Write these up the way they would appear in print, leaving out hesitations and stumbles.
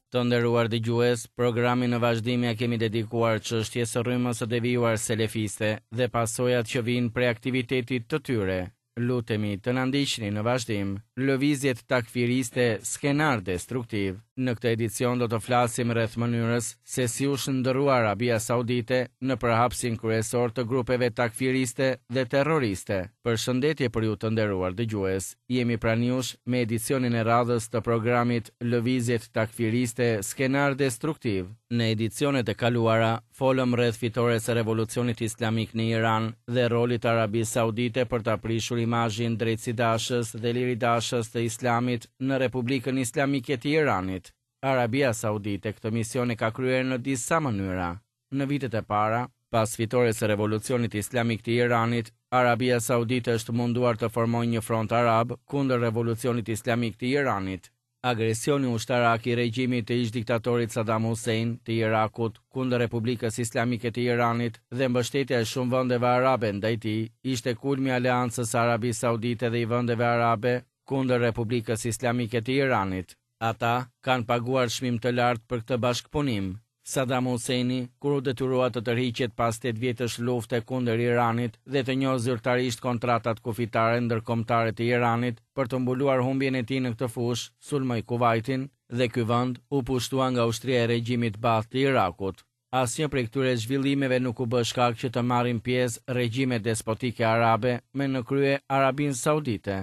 Të nderuar dëgjues, programin në vazhdim ia kemi dedikuar çështjes së rrymës së devijuar selefiste dhe pasojat që vijnë prej aktivitetit të tyre. Lutemi të na ndiqni në vazhdim. Lëvizjet takfiriste skenar destruktiv. Në këtë edicion do të flasim rreth mënyrës se si u shndërrua Arabia Saudite në përhapësin kryesor të grupeve takfiriste dhe terroriste. Përshëndetje për ju të nderuar dëgjues. Jemi pranë jush me edicionin e radhës të programit Lëvizjet takfiriste skenar destruktiv. Në edicionet e kaluara folëm rreth fitores së Revolucionit Islamik në Iran dhe rolit të Arabisë Saudite për ta prishur imazhin drejtësidashës dhe liridashës të Islamit në Republikën Islamike të Iranit. Arabia Saudite këtë mision e ka kryer në disa mënyra. Në vitet e para, pas fitores së Revolucionit Islamik të Iranit, Arabia Saudite është munduar të formojë një front arab kundër Revolucionit Islamik të Iranit. Agresioni ushtarak i regjimit të ish-diktatorit Saddam Hussein të Irakut kundër Republikës Islamike të Iranit dhe mbështetja e shumë vendeve arabe ndaj tij ishte kulmi i aleancës së Arabisë Saudite dhe i vendeve arabe kundër Republikës Islamike të Iranit. Ata kanë paguar çmim të lartë për këtë bashkëpunim. Saddam Husseini, kur u detyrua të tërhiqet pas tetë vjetësh lufte kundër Iranit dhe të njohë zyrtarisht kontratat kufitare ndërkombëtare të Iranit për të mbuluar humbjen e tij në këtë fushë, sulmoi Kuvajtin dhe ky vend u pushtua nga ushtria e regjimit Baath të Irakut. Asnjë prej këtyre zhvillimeve nuk u bë shkak që të marrin pjesë regjimet despotike arabe me në krye Arabinë Saudite.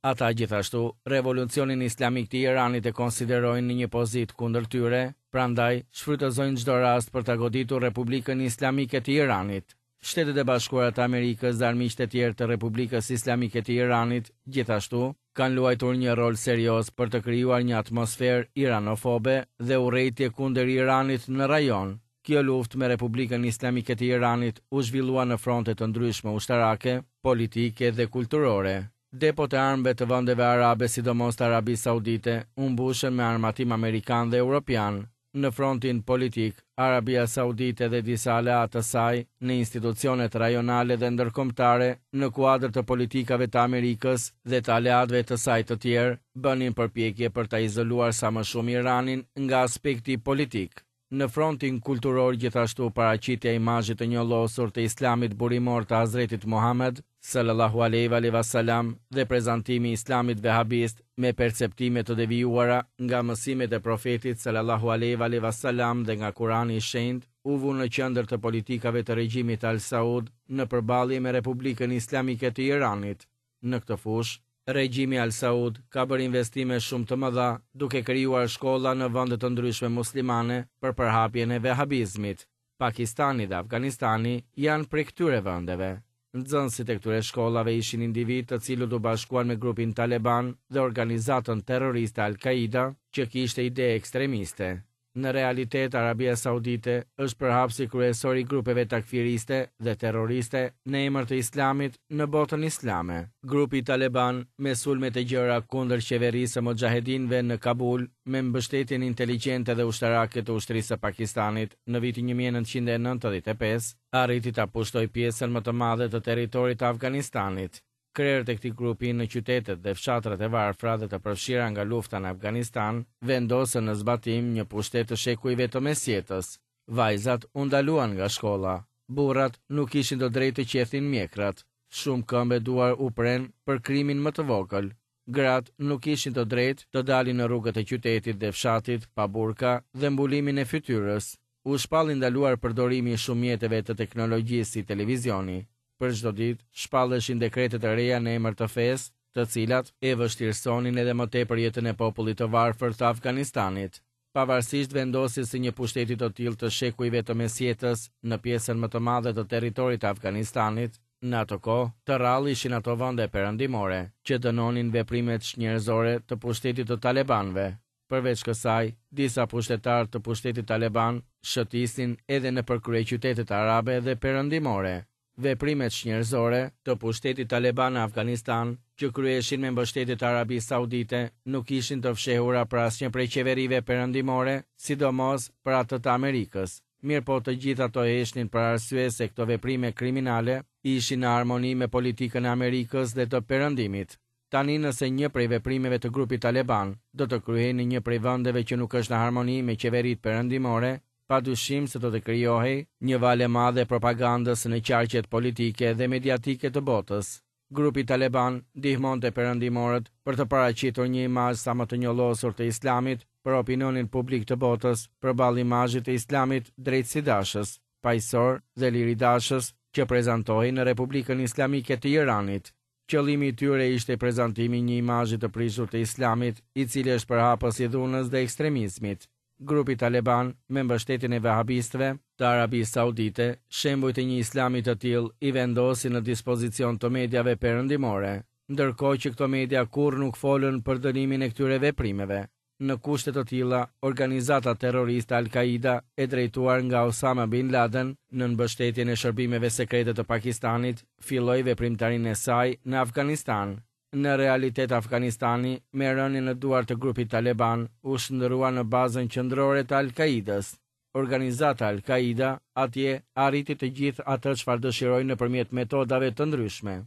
Ata gjithashtu, Revolucionin Islamik të Iranit e konsiderojnë në një pozitë kundër tyre, prandaj shfrytëzojnë çdo rast për ta goditur Republikën Islamike të Iranit. Shtetet e Bashkuara të Amerikës dhe armiqtë e tjerë të Republikës Islamike të Iranit, gjithashtu, kanë luajtur një rol serioz për të krijuar një atmosferë iranofobe dhe urrejtje kundër Iranit në rajon. Kjo luftë me Republikën Islamike të Iranit u zhvillua në fronte të ndryshme ushtarake, politike dhe kulturore. Depot e armëve të vendeve arabe, sidomos të Arabisë Saudite, u mbushën me armatim amerikan dhe europian. Në frontin politik, Arabia Saudite dhe disa aleatë të saj, në institucionet rajonale dhe ndërkombëtare, në kuadër të politikave të Amerikës dhe të aleatëve të saj të tjerë, bënin përpjekje për ta izoluar sa më shumë Iranin nga aspekti politik. Në frontin kulturor gjithashtu paraqitja e imazhit të njollosur të Islamit burimor të Hazretit Muhamed, sallallahu alejhi ve alejhi ve selam, dhe prezantimi i Islamit vehabist me perceptime të devijuara nga mësimet e Profetit, sallallahu alejhi ve alejhi ve selam, dhe nga Kurani i Shenjtë, u vu në qendër të politikave të regjimit Al Saud në përballje me Republikën Islamike të Iranit. Në këtë fushë, regjimi Al Saud ka bërë investime shumë të mëdha, duke krijuar shkolla në vende të ndryshme muslimane për përhapjen e vehabizmit. Pakistani dhe Afganistani janë prej këtyre vendeve. Nxënësit e këtyre shkollave ishin individë të cilët u bashkuan me grupin Taleban dhe organizatën terroriste Al-Qaida, që kishte ide ekstremiste. Në realitet, Arabia Saudite është përhapësi kryesor i grupeve takfiriste dhe terroriste në emër të Islamit në botën islame. Grupi Taleban, me sulmet e gjera kundër qeverisë së muxhahedinëve në Kabul, me mbështetjen inteligjente dhe ushtarake të ushtrisë së Pakistanit në vitin 1995, arriti ta pushtojë pjesën më të madhe të territorit të Afganistanit. Krerët e këtij grupi në qytetet dhe fshatrat e varfra dhe të përfshira nga lufta në Afganistan vendosën në zbatim një pushtet të shekujve të mesjetës. Vajzat u ndaluan nga shkolla. Burrat nuk kishin të drejtë të qethnin mjekrat. Shumë këmbë e duar u prenë për krimin më të vogël. Gratë nuk kishin të drejtë të dalin në rrugët e qytetit dhe fshatit pa burka dhe mbulimin e fytyrës. U shpall i ndaluar përdorimi i shumë mjeteve të teknologjisë si televizioni. Për çdo ditë, shpalleshin dekrete të reja në emër të fesë, të cilat e vështirësonin edhe më tepër jetën e popullit të varfër të Afganistanit. Pavarësisht vendosjes së një pushteti të tillë të shekujve të mesjetës në pjesën më të madhe të territorit të Afganistanit, në atë kohë, të rrallë ishin ato vende perëndimore, që dënonin veprimet çnjerëzore të pushtetit të talebanëve. Përveç kësaj, disa pushtetarë të pushtetit taleban shëtisnin edhe nëpër kryeqytetet arabe dhe perëndimore. Veprimet çnjerëzore të pushtetit taleban në Afganistan, që kryheshin me mbështetje të Arabisë Saudite, nuk ishin të fshehura për asnjë prej qeverive perëndimore, sidomos për atë të Amerikës. Mirëpo të gjithë ato heshtnin për arsye se këto veprime kriminale ishin në harmoni me politikën e Amerikës dhe të Perëndimit. Tani nëse një prej veprimeve të grupit taleban do të kryhej në një prej vendeve që nuk është në harmoni me qeveritë perëndimore, pa dyshim se do të krijohej një valë e madhe e propagandës në qarqet politike dhe mediatike të botës. Grupi taleban ndihmonte perëndimorët për të paraqitur një imazh sa më të njollosur të Islamit për opinionin publik të botës përballë imazhit të Islamit drejtësidashës, paqësor dhe liridashës që prezantohej në Republikën Islamike të Iranit. Qëllimi i tyre ishte prezantimi i një imazhi të prishur të Islamit, i cili është përhapës i dhunës dhe ekstremizmit. Grupi taleban, me mbështetjen e vehabistëve të Arabisë Saudite, shembujt e një Islami të tillë i vendosi në dispozicion të mediave perëndimore, ndërkohë që këto media kurrë nuk folën për dënimin e këtyre veprimeve. Në kushte të tilla, organizata terroriste Al-Kaida, e drejtuar nga Osama bin Laden, nën mbështetjen e shërbimeve sekrete të Pakistanit, filloi veprimtarinë e saj në Afganistan. Në realitet Afganistani, me rënien në duar të grupit taleban, u shndërrua në bazën qendrore të Al-Kaidës. Organizata Al-Kaida atje arriti të gjithë atë çfarë dëshiroi nëpërmjet metodave të ndryshme.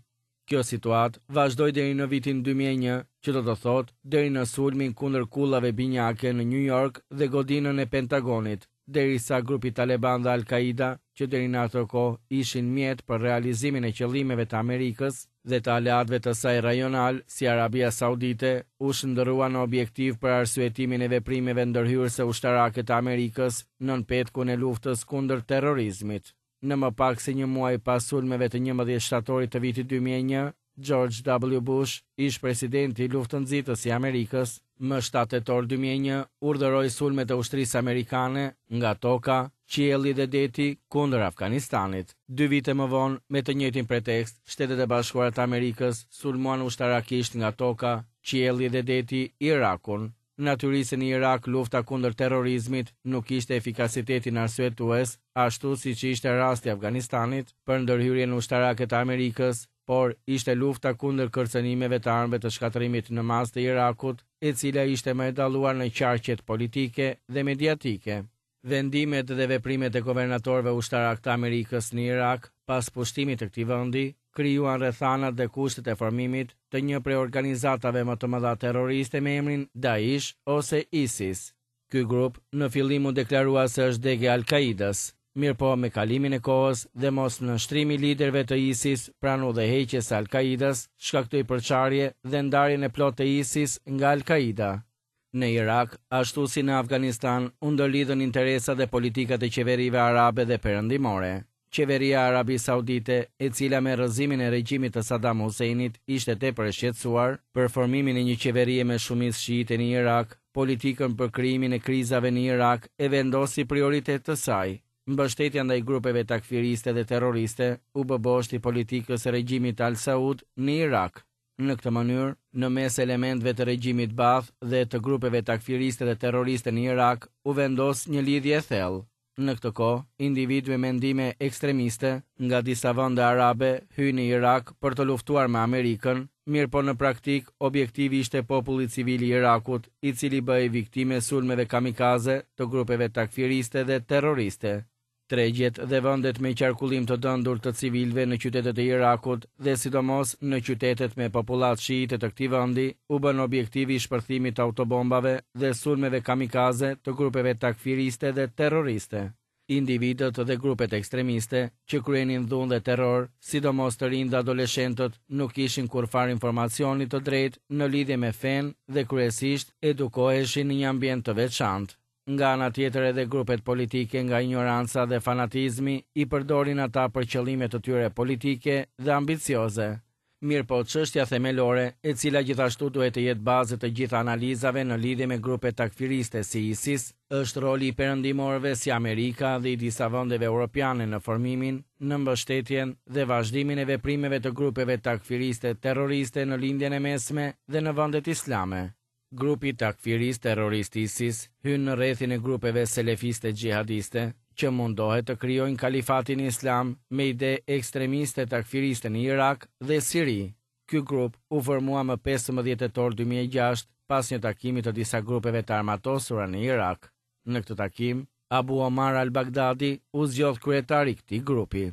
Kjo situatë vazhdoi deri në vitin 2001, që do të thotë deri në sulmin kundër kullave binjake në Nju Jork dhe godinën e Pentagonit, derisa grupi taleban dhe Al-Kaida, që deri në atë kohë ishin mjet për realizimin e qëllimeve të Amerikës dhe të aleatëve të saj rajonalë si Arabia Saudite, u shndërruan në objektiv për arsyetimin e veprimeve ndërhyrëse ushtarake të Amerikës nën petkun e luftës kundër terrorizmit. Në më pak se një muaj pas sulmeve të 11 shtatorit të vitit 2001, George W. Bush, ish-presidenti luftënxitës i Amerikës, më 7 tetor 2001 urdhëroi sulmet e ushtrisë amerikane nga toka, qielli dhe deti kundër Afganistanit. Dy vite më vonë, me të njëjtin pretekst, Shtetet e Bashkuara të Amerikës sulmuan ushtarakisht nga toka, qielli dhe deti Irakun. Natyrisht se në Irak lufta kundër terrorizmit nuk kishte efikasitetin arsyetues, ashtu siç ishte rasti i Afganistanit, për ndërhyrjen ushtarake të Amerikës, por ishte lufta kundër kërcënimeve të armëve të shkatërrimit në masë të Irakut, e cila ishte më e dalluar në qarqet politike dhe mediatike. Vendimet dhe veprimet e guvernatorëve ushtarakë të Amerikës në Irak, pas pushtimit të këtij vendi, krijuan rrethanat dhe kushtet e formimit të një prej organizatave më të mëdha terroriste me emrin Daesh ose ISIS. Ky grup në fillim u deklarua se është degë e Al-Kaidës, mirëpo me kalimin e kohës dhe mosnënshtrimi i liderëve të ISIS pranë udhëheqjes së Al-Kaidës shkaktoi përçarje dhe ndarjen e plotë të ISIS nga Al-Kaida. Në Irak, ashtu si në Afganistan, u ndërlidhën interesat dhe politikat e qeverive arabe dhe perëndimore. Qeveria e Arabisë Saudite, e cila me rrëzimin e regjimit të Saddam Husseinit ishte tepër e shqetësuar për formimin e një qeverie me shumicë shiite në Irak, politikën për krijimin e krizave në Irak e vendosi prioritet të saj. Mbështetja ndaj grupeve takfiriste dhe terroriste u bë bosht i politikës së regjimit Al Saud në Irak. Në këtë mënyrë, në mes elementëve të regjimit Baath dhe të grupeve takfiriste dhe terroriste në Irak, u vendos një lidhje e thellë. Në këtë kohë, individë me mendime ekstremiste nga disa vende arabe hyjnë në Irak për të luftuar me Amerikën, mirëpo në praktikë objektivi ishte populli civil i Irakut, i cili bëhej viktimë e sulmeve kamikaze të grupeve takfiriste dhe terroriste. Tregjet dhe vendet me qarkullim të dëndur të civilëve në qytetet e Irakut dhe sidomos në qytetet me popullatë shiite të këtij vendi u bënë objektiv i shpërthimit të autobombave dhe sulmeve kamikaze të grupeve takfiriste dhe terroriste. Individët dhe grupet ekstremiste që kryenin dhunë dhe terror, sidomos të rinjtë dhe adoleshentët, nuk kishin kurrfarë informacioni të drejtë në lidhje me fenë dhe kryesisht edukoheshin në një ambient të veçantë. Nga ana tjetër edhe grupet politike nga injoranca dhe fanatizmi i përdorin ata për qëllime të tyre politike dhe ambicioze. Mirëpo çështja themelore, e cila gjithashtu duhet të jetë bazë e të gjitha analizave në lidhje me grupet takfiriste si ISIS, është roli i perëndimorëve si Amerika dhe i disa vendeve europiane në formimin, në mbështetjen dhe vazhdimin e veprimeve të grupeve takfiriste terroriste në Lindjen e Mesme dhe në vendet islame. Grupi takfirist terrorist ISIS hyn në rrethin e grupeve selefiste xhihadiste që mundohet të krijojnë kalifatin islam me ide ekstremiste takfiriste në Irak dhe Siri. Ky grup u formua më 15 tetor 2006 pas një takimi të disa grupeve të armatosura në Irak. Në këtë takim, Abu Omar al-Baghdadi u zgjodh kryetar i këtij grupi.